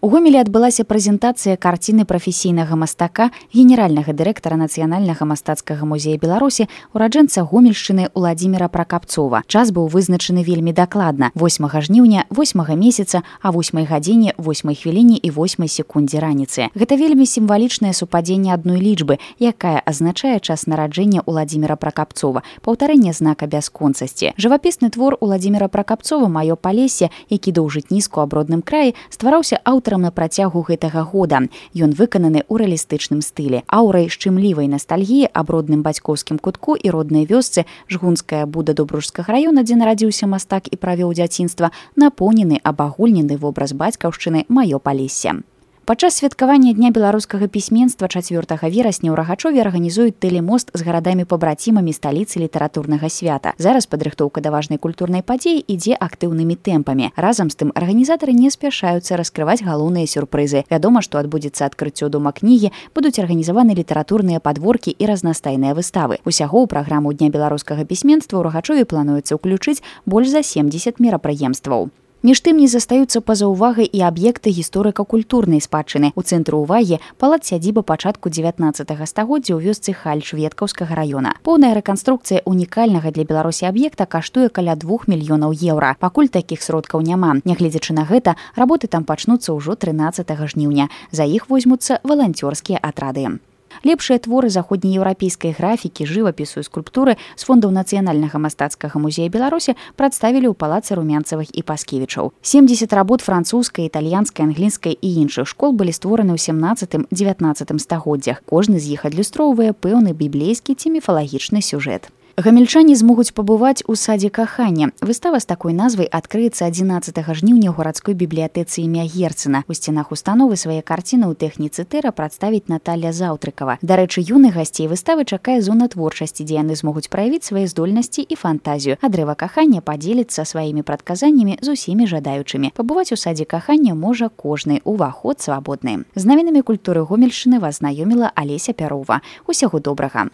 У Гомелі адбылася прэзентацыя карціны прафесійнага мастака, генеральнага дырэктара Нацыянальнага мастацкага музея Беларусі, ураджэнца Гомельшчыны Уладзіміра Пракапцова. Час быў вызначаны вельмі дакладна – 8 жніўня, 8 месяца, а 8 гадзіне, 8 хвіліне і 8 секундзе раніцы. Гэта вельмі сімвалічнае супадзенне адной лічбы, якая азначае час нараджэння Уладзіміра Пракапцова, паўтарэнне знака бясконцасці. Жывапісны твор Уладзіміра Пракапцова «Маё палессе», які доўжыць нізку аб родным краі, ствараўся аўтарам на працягу гэтага года. Ён выкананы ў рэалістычным стылі. Аўрай шчымлівай настальгіі аб родным бацькоўскім кутку і роднай вёсцы Жгунская Буда Добружскага раёна, дзе нарадзіўся мастак і правёў дзяцінства, напоўнены абагульнены вобраз бацькаўшчыны «Маё палессе». Падчас святкавання Дня беларускага пісьменства 4 верасня ў Рагачове арганізуюць тэлемост з гарадамі-пабрацімамі сталіцы літаратурнага свята. Зараз падрыхтоўка да важнай культурнай падзеі ідзе актыўнымі тэмпамі. Разам з тым арганізатары не спяшаюцца раскрываць галоўныя сюрпрызы. Вядома, што адбудзецца адкрыццё дома кнігі, будуць арганізаваны літаратурныя падворкі і разнастайныя выставы. Усяго ў праграму Дня беларускага пісьменства ў Рагачове плануецца ўключыць больш за 70 мерапрыемстваў. Між тым не застаюцца па-за ўвагай і аб'екты гісторыка-культурнай спадчыны. У цэнтры ўвагі палац-сядзіба пачатку 19 стагоддзя ў вёсцы Халь Шведкаўскага раёна. Поўная рэканструкцыя унікальнага для Беларусі аб'екта каштуе каля 2 мільёнаў еўра. Пакуль такіх сродкаў няма. Нягледзячы на гэта, работы там пачнуцца ўжо 13 жніўня. За іх возьмуцца валанцёрскія атрады. Лепшыя творы заходнееўрапейскай графікі, жывапісу і скульптуры з фондаў Нацыянальнага мастацкага музея Беларусі прадставілі ў палацы Румянцавых і Паскевічаў. 70 работ французскай, італьянскай, англійскай і іншых школ былі створаны ў 17-19 стагоддзях. Кожны з іх адлюстроўвае пэўны біблейскі ці міфалагічны сюжэт. Гамельчане змогуць пабываць у садзе кахання. Выстава з такой назвай адкрыецца 11 жніўня ў гарадской бібліятэцы імя Герцена. У сценах установы свае карціны ў тэхніцы тэра прадставіць Наталля Заўтрыкава. Дарэчы, юных гасцей выставы чакае зона творчасці, дзе яны змогуць праявіць свае здольнасці і фантазію. А дрэва кахання падзеліцца сваімі прадказаннямі з усімі жадаючымі. Пабываць у садзе кахання можа кожны, уваход свабодны. З навінамі культуры Гомельшчыны вас знаёміла Алеся Пярова. Усяго добрага.